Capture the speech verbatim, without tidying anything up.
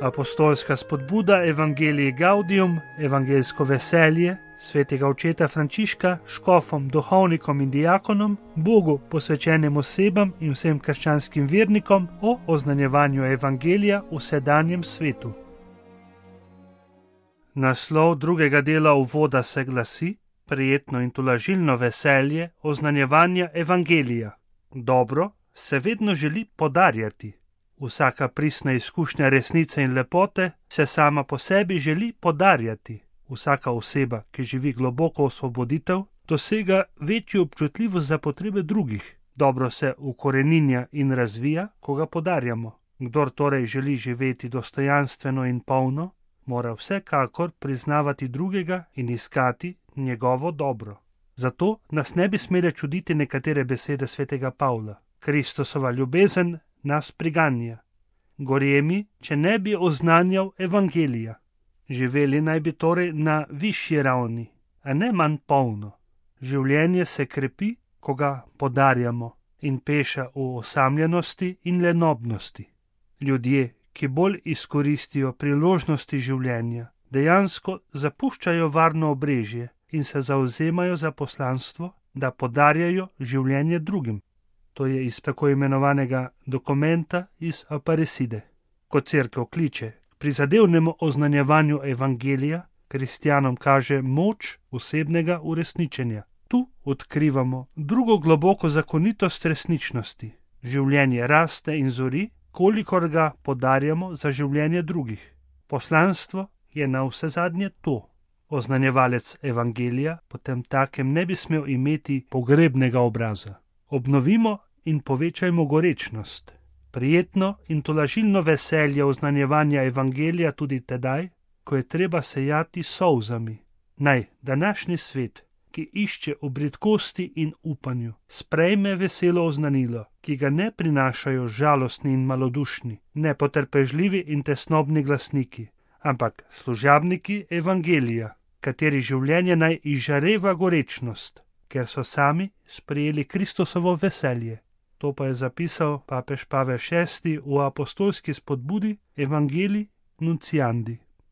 Apostolska spodbuda Evangelii Gaudium, evangeljsko veselje svetega očeta Frančiška, škofom, duhovnikom in diakonom, Bogu posvečenim osebam in vsem krščanskim vernikom o oznanjevanju evangelija v sedanjem svetu. Naslov drugega dela uvoda se glasi: Prijetno in tolažilno veselje oznanjevanja evangelija. Dobro se vedno želi podarjati. Vsaka pristna izkušnja resnice in lepote se sama po sebi želi podarjati. Vsaka oseba, ki živi globoko osvoboditev, dosega večjo občutljivost za potrebe drugih. Dobro se ukoreninja in razvija, ko ga podarjamo. Kdor torej želi živeti dostojanstveno in polno, mora vsekakor priznavati drugega in iskati njegovo dobro. Zato nas ne bi smele čuditi nekatere besede svetega Pavla. Kristusova ljubezen nas priganja. Gorje mi, če ne bi oznanjal evangelija. Živeli naj bi torej na višji ravni, a ne manj polno. Življenje se krepi, ko ga podarjamo, in peša v osamljenosti in lenobnosti. Ljudje, ki bolj izkoristijo priložnosti življenja, dejansko zapuščajo varno obrežje in se zavzemajo za poslanstvo, da podarjajo življenje drugim. To je iz tako imenovanega dokumenta iz Aparecide. Ko cerkev kliče k prizadevnemu oznanjevanju evangelija, kristjanom kaže moč osebnega uresničenja. Tu odkrivamo drugo globoko zakonitost resničnosti. Življenje raste in zori, kolikor ga podarjamo za življenje drugih. Poslanstvo je na vse zadnje to. Oznanjevalec evangelija potem takem ne bi smel imeti pogrebnega obraza. Obnovimo in povečajmo gorečnost. Prijetno in tolažilno veselje oznanjevanja evangelija tudi tedaj, ko je treba sejati s solzami. Naj današnji svet, ki išče v bridkosti in upanju, sprejme veselo oznanilo, ki ga ne prinašajo žalostni in malodušni, nepotrpežljivi in tesnobni glasniki, ampak služabniki evangelija, kateri življenje naj izžareva gorečnost, ker so sami sprejeli Kristusovo veselje. To pa je zapisal papež Pavel šesti v apostolski spodbudi Evangelii Nunciandi.